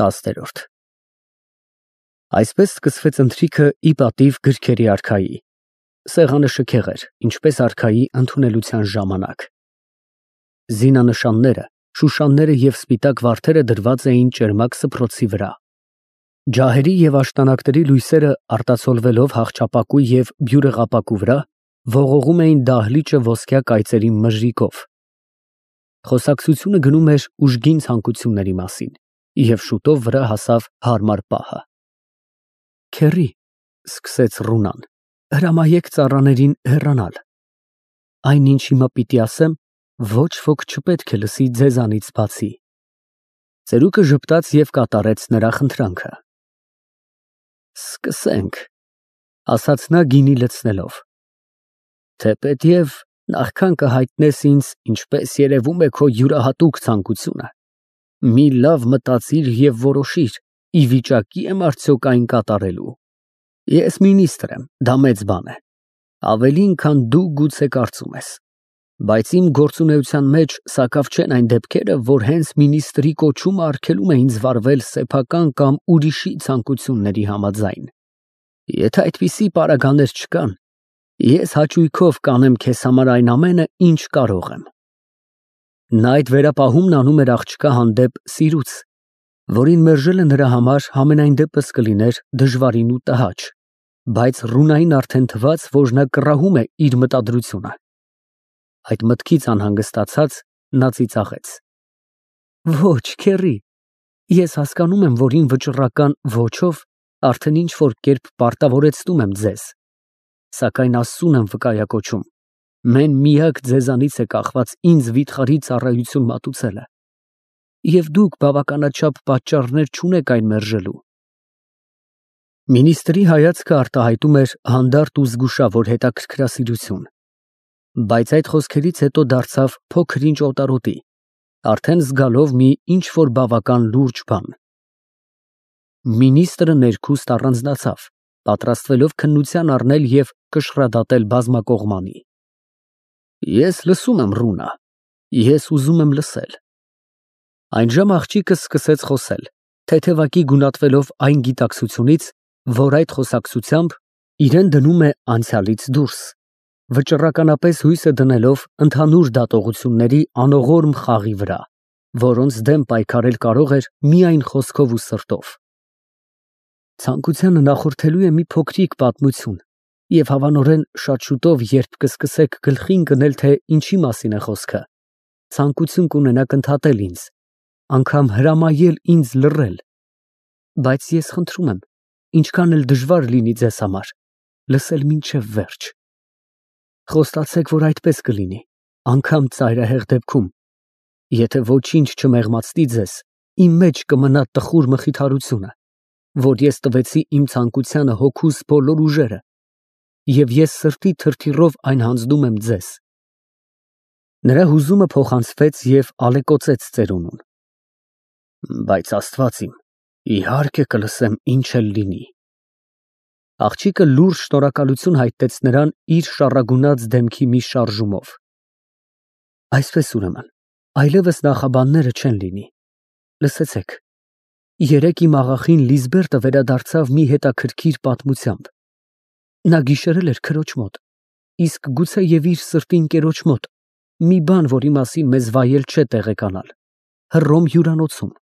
10-րդ Այսպես սկսվեց ընթրիքը ի պատիվ գրքերի արքայի։ Սեղանը շքեղ էր, ինչպես արքայի ընդունելության ժամանակ։ Զինանշանները, շուշանները և սպիտակ վարդերը դրված էին ճերմակ սփռոցի վրա։ Ջահերի և աշտանակների լույսերը արտացոլվելով հախճապակու և բյուրեղապակու վրա, ողողում էին դահլիճը ոսկյա կայծերի մժրիկով։ Խոսակցությունը գնում էր ուժգին ցանկությունների մասին, և շուտով վրա հասավ հարմար պահը։ Քեռի, սկսեց Ռունան, հրամայեք ծառաներին հեռանալ։ Այն, ինչ հիմա պիտի ասեմ, ոչ ոք չպետք է լսի ձեզանից բացի։ Ծերուկը ժպտաց և կատարեց նրա խնդրանքը։ Սկսենք, ասաց նա գինի լցնելով։ Թեպետև նախքան կհայտնես ինձ, ինչպես երևում է քո յուրահատուկ ցանկությունը, մի լավ մտածիր և որոշիր, ի վիճակի եմ արդյոք այն կատարելու։ Ես մինիստր եմ, դա մեծ բան է, ավելին, քան դու գուցե կարծում ես, բայց իմ գործունեության մեջ սակավ չեն այն դեպքերը, որ հենց մինիստրի կոչումը արգելում է ինձ վարվել սեփական կամ ուրիշի ցանկությունների համաձայն։ Եթե այդպիսի պարագաներ չկան, ես հաճույքով կանեմ քեզ համար այն ամենը, ինչ կարող եմ։ Նա այդ վերապահումն անում էր աղջկա հանդեպ սիրուց, որին մերժելը նրա համար համենայն դեպս կլիներ դժվարին ու տհաճ, բայց Ռունային արդեն թվաց, որ նա կռահում է իր մտադրությունը։ Այդ մտքից անհանգստացած, նա ծիծաղեց. Ոչ, քեռի, ես հասկանում եմ, որ իմ վճռական ոչով արդեն ինչ-որ կերպ պարտավորեցնում եմ ձեզ, սակայն Աստծուն եմ վկայակոչում, մեն միակ ձեզանից է կախված ինձ վիթխարի ծառայություն մատուցելը, և դուք բավականաչափ պատճառներ չունեք այն մերժելու։ Մինիստրի հայացքը արտահայտում էր հանդարտ ու զգուշավոր հետաքրքրասիրություն, բայց այդ խոսքերից հետո դարձավ փոքր-ինչ օտարոտի, արդեն զգալով մի ինչ-որ բավական լուրջ բան։ Մինիստրը ներքուստ առանձնացավ, պատրաստվելով քննության առնել և կշռադատել բազմակողմանի։ Ես լսում եմ, Ռունա, ես ուզում եմ լսել։ Այնժամ աղջիկը սկսեց խոսել, թեթևակի գունատվելով այն գիտակցությունից, որ այդ խոսակցությամբ իրեն դնում է անցյալից դուրս, վճռականապես հույսը դնելով ընդհանուր դատողությունների անողորմ խաղի վրա, որոնց դեմ պայքարել կարող էր միայն խոսքով ու սրտով։ Ցանկությանը նախորդելու է մի փոքրիկ պատմություն, և հավանորեն շատ շուտով, երբ կսկսեք գլխին կնել, թե ինչի մասին է խոսքը, ցանկություն կունենաք ընդհատել ինձ, անգամ հրամայել ինձ լռել, բայց ես խնդրում եմ, ինչքան էլ դժվար լինի ձեզ համար, լսել մինչև վերջ։ Խոստացեք, որ այդպես կլինի, անգամ ծայրահեղ դեպքում, եթե ոչինչ չմեղմացնի ձեզ, իմ մեջ կմնա տխուր մխիթարությունը, որ ես տվեցի իմ ցանկությանը հոգուս բոլոր ուժերը, և ես սրտի թրթիռով այն հանձնում եմ ձեզ։ Նրա հուզումը փոխանցվեց և ալեկոծեց ծերունուն։ Բայց Աստված իմ, իհարկե կլսեմ, ինչ էլ լինի։ Աղջիկը լուրջ շնորհակալություն հայտնեց նրան իր շառագունած դեմքի մի շարժումով։ Այսպես ուրեմն, այլևս նախաբանները չեն լինի։ Լսեցեք, երեկ իմ աղախին Լիզբերտը վերադարձավ մի հետաքրքիր պատմությամբ։ Նա գիշերել էր քրոջ մոտ, իսկ գուցե և իր սրտի ընկերոջ մոտ, մի բան, որի մասին մեզ վայել չէ տեղեկանալ, Հռոմ հյուրանոցում։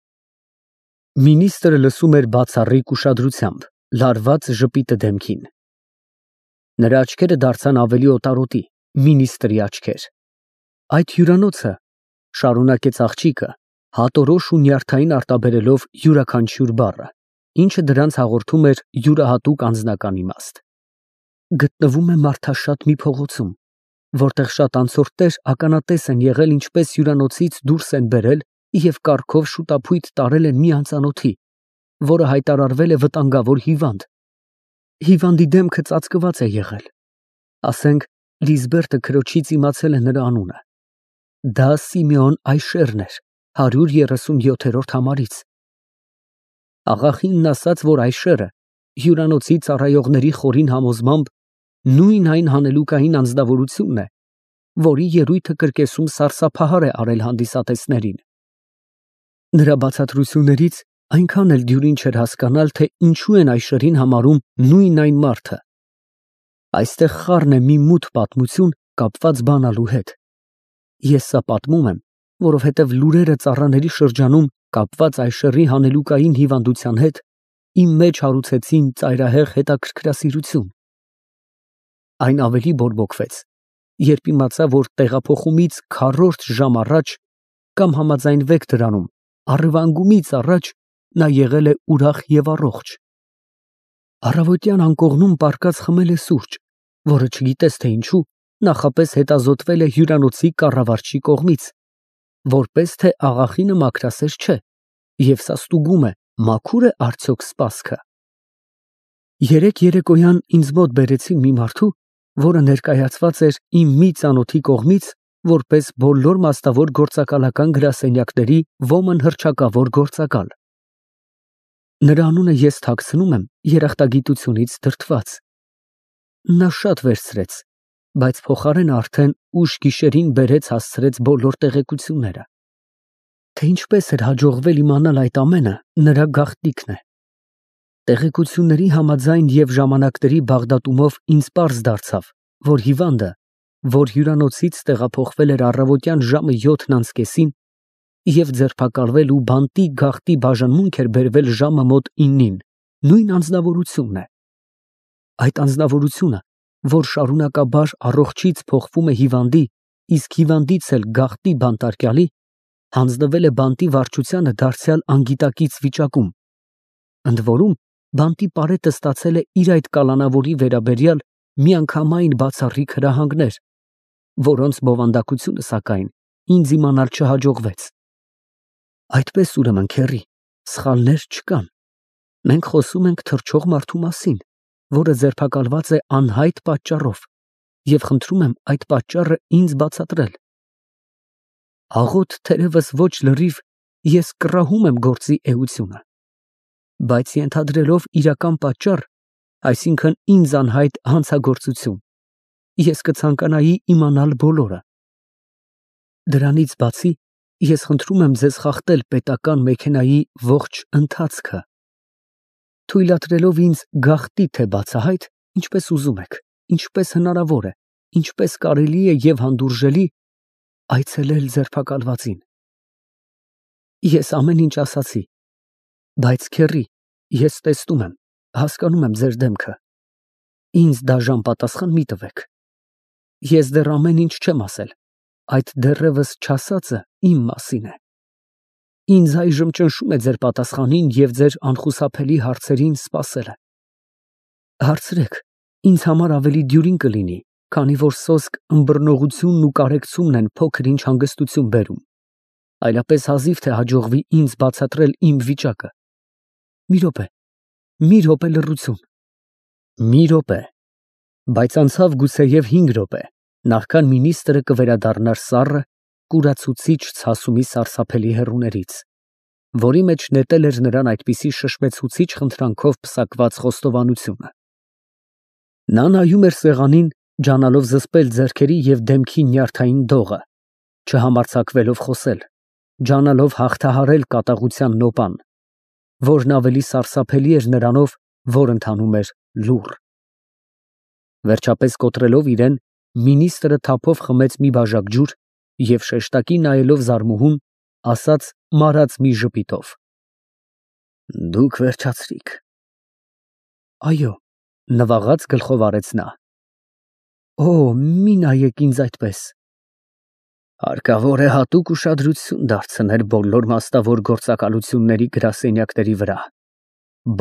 Մինիստրը լսում էր բացառիկ ուշադրությամբ, լարված ժպիտը դեմքին։ Նրա աչքերը դարձան ավելի օտարոտի, մինիստրի աչքեր։ Այդ հյուրանոցը, շարունակեց աղջիկը, հատորոշ ու նյարդային արտաբերելով յուրաքանչյուր բառը, ինչը դրանց հաղորդում էր յուրահատուկ անձնական իմաստ, գտնվում է մարդաշատ մի փողոցում, որտեղ շատ անցորդներ ականատես են եղել, ինչպես հյուրանոցից դուրս են բերել և կառքով շուտափույթ տարել են մի անծանոթի, որը հայտարարվել է վտանգավոր հիվանդ։ Հիվանդի դեմքը ծածկված է եղել։ Ասենք, Լիզբերտը քրոջից իմացել է նրա անունը։ Դա Սիմեոն Այշերն էր, 137-րդ համարից։ Աղախինն ասաց, որ Այշերը հյուրանոցի ծառայողների խորին համոզմամբ նույն այն հանելուկային անձնավորությունն է, որի ելույթը կրկեսում սարսափահար է արել հանդիսատեսներին։ Նրա բացատրություններից Այնքան էլ դյուրին չէր հասկանալ, թե ինչու են այս շրին համարում նույն այն մարդը։ Այստեղ խառն է մի մութ պատմություն կապված բանալու հետ։ Ես սա պատմում եմ, որովհետև լուրերը ծառաների շրջանում կապված այս շրի հանելուկային հիվանդության հետ իմ մեջ հարուցեցին ծայրահեղ հետաքրքրասիրություն։ Այն ավելի բորբոքվեց, երբ իմացա, որ տեղափոխումից քառորդ ժամ առաջ կամ համաձայնվեք դրանում, առվանգումից առաջ նա եղել է ուրախ և առողջ։ Առավոտյան անկողնում պառկած խմել է սուրճ, որը չգիտես թե ինչու նախապես հետազոտվել է հյուրանոցի կառավարչի կողմից, որպես թե աղախինը մաքրասեր չէ, և սա ստուգում է, մաքուր է արդյոք սպասքը։ Երեկ երեկոյան ինձ մոտ բերեցին մի մարդու, որը ներկայացված էր իմ մի ծանոթի կողմից, որպես բոլոր մասնավոր գործակալական գրասենյակների ոմն հռչակավոր գործակալ։ Նրա անունը ես թաքցնում եմ երախտագիտությունից դրդված։ Նա շատ վերցրեց, բայց փոխարենը արդեն ուշ գիշերին բերեց հասցրեց բոլոր տեղեկությունները։ Թե ինչպես էր հաջողվել իմանալ այդ ամենը, նրա գաղտնիքն է։ Տեղեկությունների համաձայն և ժամանակների բաղդատումով ինձ պարզ դարձավ, որ հիվանդը, որ հյուրանոցից տեղափոխվել էր առավոտյան ժամը 7:30 և ձերբակալվել ու բանտի գաղտնի բաժանմունք էր բերվել ժամը մոտ 9-ին, նույն անձնավորությունն է։ Այդ անձնավորությունը, որ շարունակաբար առողջից փոխվում է հիվանդի, իսկ հիվանդից էլ գաղտնի բանտարկյալի, հանձնվել է բանտի վարչությանը դարձյալ անգիտակից վիճակում։ Ընդ որում, բանտի պարետը ստացել է իր այդ կալանավորի վերաբերյալ միանգամայն բացառիկ հրահանգներ, որոնց բովանդակությունը, սակայն, ինձ իմանալ չհաջողվեց։ Այդպես, ուրեմն, քեռի, սխալներ չկան։ Մենք խոսում ենք թռչող մարդու մասին, որը ձերբակալված է անհայտ պատճառով, և խնդրում եմ այդ պատճառը ինձ բացատրել։ Աղոթ թերևս ոչ լրիվ ես կռահում եմ գործի էությունը, բայց ենթադրելով իրական պատճառ, այսինքն ինձ անհայտ հանցագործություն, ես կցանկանայի իմանալ բոլորը։ Դրանից բացի, ես խնդրում եմ ձեզ խախտել պետական մեքենայի ողջ ընթացքը, թույլատրելով ինձ գաղտնի թե բացահայտ, ինչպես ուզում եք, ինչպես հնարավոր է, ինչպես կարելի է և հանդուրժելի այցելել ձերբակալվածին։ Ես ամեն ինչ ասացի, բայց քեռի, ես տեսնում եմ, հասկանում եմ ձեր դեմքը։ Ինձ դաժան պատասխան մի տվեք։ Ես դեռ ամեն ինչ չեմ ասել, այդ դեռևս չասածը իմ մասին է։ Ինձ այժմ ճնշում է ձեր պատասխանին և ձեր անխուսափելի հարցերին սպասելը։ Հարցրեք, ինձ համար ավելի դյուրին կլինի, քանի որ սոսկ ըմբռնողությունն ու կարեկցումն են փոքր-ինչ հանգստություն բերում, այլապես հազիվ թե հաջողվի ինձ բացատրել իմ վիճակը։ Մի րոպե լռություն։ Մի րոպե, բայց անցավ գուցեև 5 րոպե, նախքան մինիստրը կվերադառնար սառը, կուրացուցիչ ցասումի սարսափելի հեռուներից, որի մեջ նետել էր նրան այդպիսի շշմեցուցիչ խնդրանքով պսակված խոստովանությունը։ Նա նայում էր սեղանին, ջանալով զսպել ձեռքերի և դեմքի նյարդային դողը, չհամարձակվելով խոսել, ջանալով հաղթահարել կատաղության նոպան, որն ավելի սարսափելի էր նրանով, որ ընթանում էր լուռ։ Վերջապես կոտրելով իրեն, մինիստրը թափով խմեց մի բաժակ ջուր և շեշտակի նայելով զարմուհուն, ասաց մարած մի ժպիտով. Դուք վերջացրիք։ Այո, նվաղած գլխով արեց նա։ Օ, մի նայեք ինձ այդպես։ Հարկավոր է հատուկ ուշադրություն դարձնել բոլոր մասնավոր գործակալությունների գրասենյակների վրա,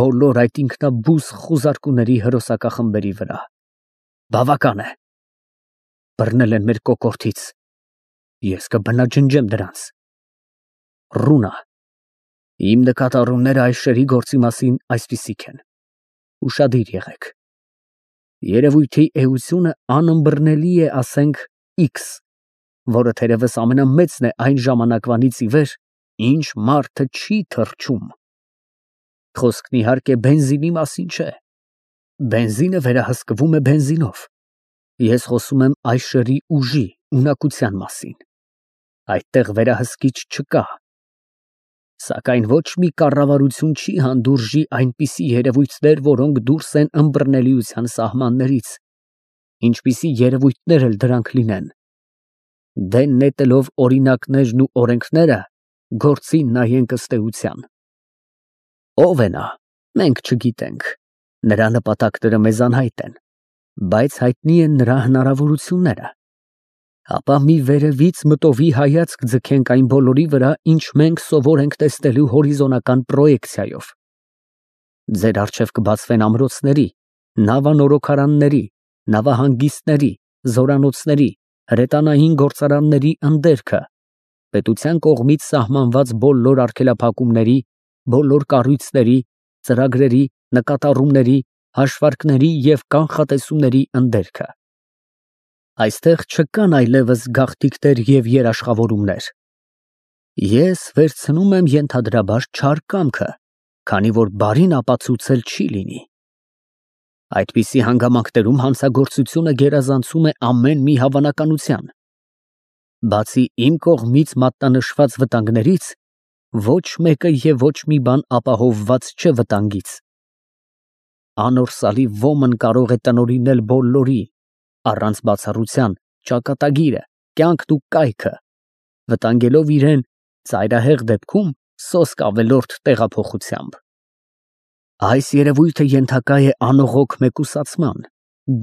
բոլոր այդ ինքնաբուխ խուզարկուների հրոսակախմբերի վրա։ Բավական է։ Բռնել են մեր կոկորդից։ Ես կբնաջնջեմ դրանց։ Ռունա, իմ նկատառումները այս շերի գործի մասին այսպիսիք են։ Ուշադիր եղեք։ Երևույթի էությունը անըմբռնելի է, ասենք, X, որը թերևս ամենամեծն է այն ժամանակվանից ի վեր, ինչ մարդը չի թռչում։ Խոսքն իհարկե բենզինի մասին չէ։ Բենզինը վերահսկվում է բենզինով։ Ես խոսում եմ այս շրի ուժի, ունակության մասին։ Այդտեղ վերահսկիչ չկա։ Սակայն ոչ մի կառավարություն չի հանդուրժի այնպիսի երևույթներ, որոնք դուրս են ըմբռնելիության սահմաններից, ինչպիսի երևույթներ էլ դրանք լինեն։ Դեն նետելով օրինակներն ու օրենքները, գործին նայենք ըստ էության։ Ո՞վ է նա, մենք չգիտենք, նրա նպատակները մեզ անհայտ են, բայց հայտնի են նրա հնարավորությունները։ Ապա մի վերևից մտովի հայացք ձգենք այն բոլորի վրա, ինչ մենք սովոր ենք տեսնելու հորիզոնական պրոյեկցիայով։ Ձեր առջև կբացվեն ամրոցների, նավանորոգարանների, նավահանգիստների, զորանոցների, հրետանային գործարանների ընդերքը, պետության կողմից սահմանված բոլոր արգելափակումների, բոլոր կառույցների, ծրագրերի, նկատառումների, հաշվարկների և կանխատեսումների ընդերքը։ Այստեղ չկան այլևս գաղթիքներ և երաշխավորումներ։ Ես վերցնում եմ ենթադրաբար չար կամքը, քանի որ բարին ապացուցել չի լինի։ Այդպիսի հանգամանքներում հանցագործությունը գերազանցում է ամեն մի հավանականության։ Բացի իմ կողմից մատնանշված վտանգներից, ոչ մեկը և ոչ մի բան ապահովված չէ վտանգից։ Անորսալի ոմն կարող է տնօրինել բոլորի, առանց բացառության, ճակատագիրը, կյանքն ու կայքը, վտանգելով իրեն ծայրահեղ դեպքում սոսկ ավելորդ տեղափոխությամբ։ Այս երևույթը ենթակա է անողոք մեկուսացման,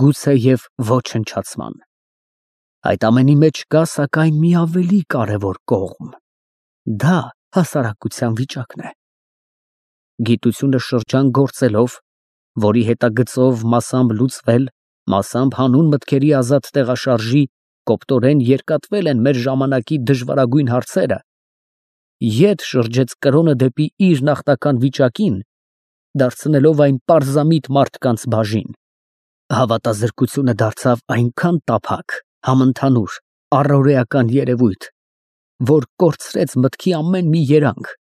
գուցեև ոչնչացման։ Այդ ամենի մեջ կա սակայն մի ավելի կարևոր կողմ։ Դա հասարակության վիճակն է։ Գիտությունը շրջան գործելով, որի հետագծով մասամբ լուծվել, մասամբ հանուն մտքերի ազատ տեղաշարժի կոպտորեն երկատվել են մեր ժամանակի դժվարագույն հարցերը, ետ շրջեց կրոնը դեպի իր նախնական վիճակին, դարձնելով այն պարզամիտ մարդկանց բաժին։ Հավատազրկությունը դարձավ այնքան տափակ, համընդհանուր, առօրեական երևույթ, որ կորցրեց մտքի ամեն մի երանգ,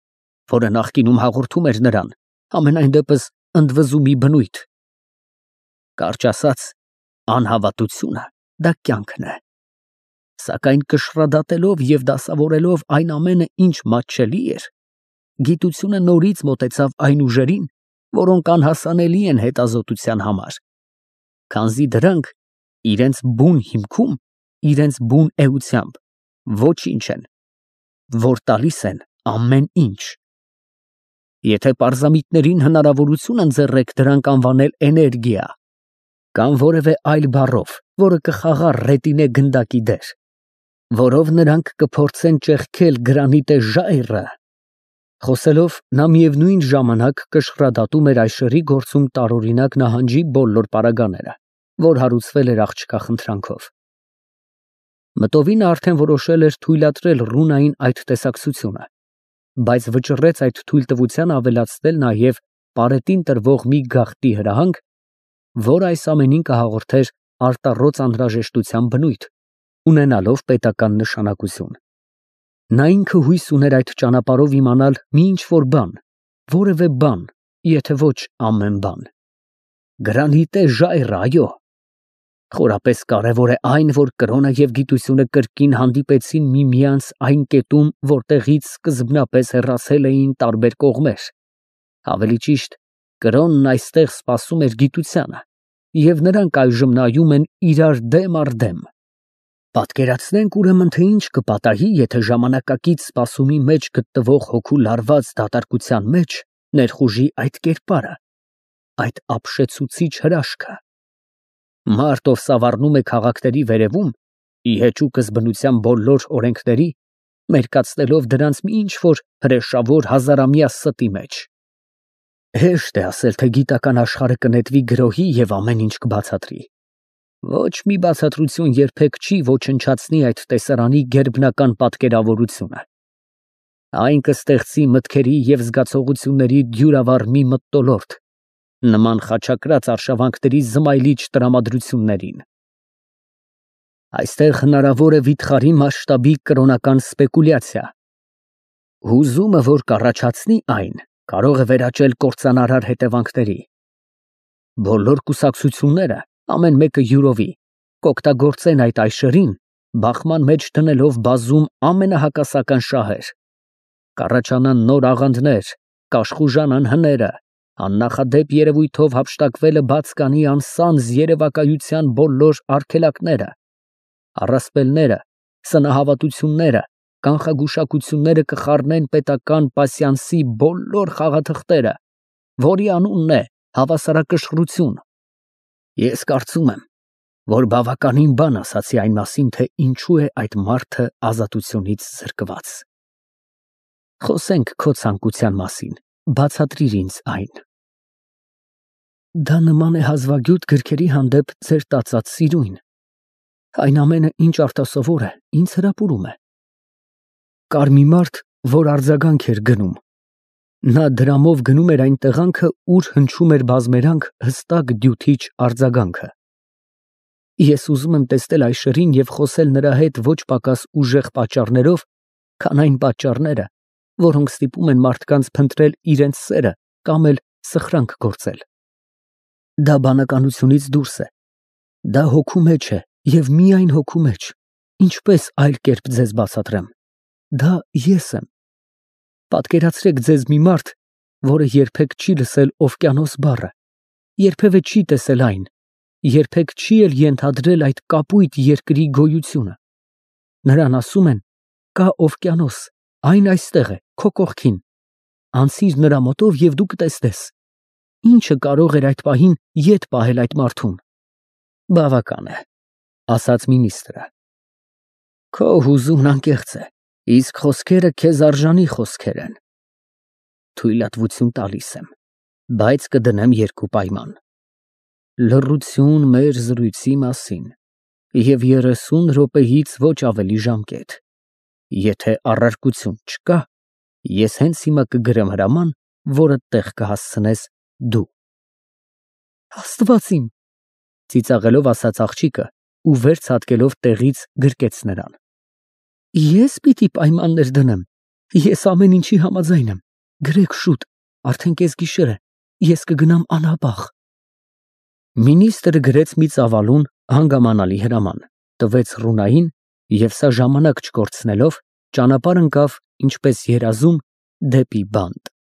որը նախկինում հաղորդում էր նրան, համենայն դեպս ընդվզումի բնույթ։ Կարճ ասած, անհավատությունը դա կյանքն է։ Սակայն կշռադատելով և դասավորելով այն ամենը, ինչ մատչելի էր, գիտությունը նորից մոտեցավ այն ուժերին, որոնք անհասանելի են հետազոտության համար, քանզի դրանք իրենց բուն հիմքում, իրենց բուն էությամբ ոչինչ են, որ տալիս են ամեն ինչ։ Եթե պարզամիտներին հնարավորություն ընձեռեք դրանք անվանել էներգիա, կամ որևէ այլ բառով, որը կխաղա ռետինե գնդակի դեր, որով նրանք կփորձեն ճեղքել գրանիտե ժայռը, խոսելով նա միևնույն ժամանակ կշռադատում էր այշերի գործում տարօրինակ նահանջի բոլոր պարագաները, որ հարուցվել էր աղջկա խնդրանքով։ Մտովինը արդեն որոշել էր թույլատրել ռունային այդ տեսակցությունը, բայց վճռեց այդ թույլտվությանը ավելացնել նաև պարետին տրվող մի գաղտնի հրահանգ, որ այս ամենին կհաղորդեր արտառոց անհրաժեշտության բնույթ, ունենալով պետական նշանակություն։ Նա ինքը հույս ուներ այդ ճանապարհով իմանալ մի ինչ-որ բան, որևէ բան, եթե ոչ ամեն բան։ Գրանիտե ժայռը, այո։ Խորապես կարևոր է այն, որ կրոնը և գիտությունը կրկին հանդիպեցին միմյանց այն կետում, որտեղից սկզբնապես հեռացել էին տարբեր կողմեր։ Ավելի ճիշտ, կրոնն այստեղ սպասում էր գիտությանը, և նրանք այժմ նայում են իրար դեմ առ դեմ։ Պատկերացնենք ուրեմն, թե ինչ կպատահի, եթե ժամանակակից սպասումի մեջ գտնվող հոգու լարված դատարկության մեջ ներխուժի այդ կերպարը, այդ ապշեցուցիչ հրաշքը։ Մարդ, ով սավառնում է քաղաքների վերևում, ի հեճուկս բնության բոլոր օրենքների, մերկացնելով դրանց մի ինչ-որ հրեշավոր հազարամյա ստի մեջ։ Հեշտ է ասել, թե գիտական աշխարհը կնետվի գրոհի և ամեն ինչ կբացատրի։ Ոչ մի բացատրություն երբեք չի ոչնչացնի այդ տեսարանի գերբնական պատկերավորությունը։ Այն կստեղծի մտքերի և զգացողությունների դյուրավառ մի մթնոլորտ, նման խաչակրաց արշավանքների զմայլիչ տրամադրություններին։ Այստեղ հնարավոր է վիթխարի մասշտաբի կրոնական սպեկուլյացիա։ Հուզումը, որ կառաջացնի այն, կարող է վերաճել կործանարար հետևանքների։ Բոլոր կուսակցությունները, ամեն մեկը յուրովի, կօգտագործեն այդ այշերին, բախման մեջ դնելով բազում ամենահակասական շահեր։ Կառաջանան նոր աղանդներ, կաշխուժանան հները, աննախադեպ երևույթով հափշտակվելը բաց կանի անսանձ երևակայության բոլոր արգելակները, առասպելները, սնահավատությունները, կանխագուշակությունները կխառնեն պետական պասյանսի բոլոր խաղաթղթերը, որի անունն է հավասարակշռություն։ Ես կարծում եմ, որ բավականին բան ասացի այն մասին, թե ինչու է այդ մարդը ազատությունից զրկված։ Խոսենք քո ցանկության մասին, բացատրիր ինձ այն։ Դա նման է հազվագյուտ գրքերի հանդեպ ձեր տածած սիրույն։ Այն ամենը, ինչ արտասովոր է, ինձ հրապուրում է։ Կար մի մարդ, որ արձագանք էր գնում։ Նա դրամով գնում էր այն տեղանքը, ուր հնչում էր բազմերանք հստակ դյութիչ արձագանքը։ Ես ուզում եմ տեսնել Այշերին և խոսել նրա հետ ոչ պակաս ուժեղ պատճառներով, քան այն պատճառները, որոնք ստիպում են մարդկանց փնտրել իրենց սերը կամ էլ սխրանք գործել։ Դա բանականությունից դուրս է։ Դա հոգու մեջ է և միայն հոգու մեջ, ինչպես այլ կերպ ձեզ բացատրեմ։ Դա ես եմ։ Պատկերացրեք ձեզ մի մարդ, որը երբեք չի լսել օվկիանոս բառը, երբևէ չի տեսել այն, երբեք չի էլ ենթադրել այդ կապույտ երկրի գոյությունը։ Նրան ասում են. կա օվկիանոս, այն այստեղ է, քո կողքին, անցիր նրա մոտով և դու կտեսնես։ Ինչը կարող էր այդ պահին ետ պահել այդ մարդուն։ Բավական է, ասաց մինիստրը։ Քո հուզումն անկեղծ է, իսկ խոսքերը քեզ արժանի խոսքեր են։ Թույլատվություն տալիս եմ, բայց կդնեմ երկու պայման. լռություն մեր զրույցի մասին և 30 րոպեից ոչ ավելի ժամկետ։ Եթե առարկություն չկա, ես հենց հիմա կգրեմ հրաման, որը տեղ կհասցնես դու։ Աստված իմ, ծիծաղելով ասաց աղջիկը ու վեր ցատկելով տեղից գրկեց նրան։ Ես պիտի պայմաններ դնեմ, ես ամեն ինչի համաձայն եմ, գրեք շուտ, արդեն կեսգիշեր է, ես կգնամ անհապաղ։ Մինիստրը գրեց մի ծավալուն հանգամանալի հրաման, տվեց Ռունային և սա ժամանակ չկորցնելով, ճանապարհ ընկավ, ինչպես երազում, դեպի բանտ։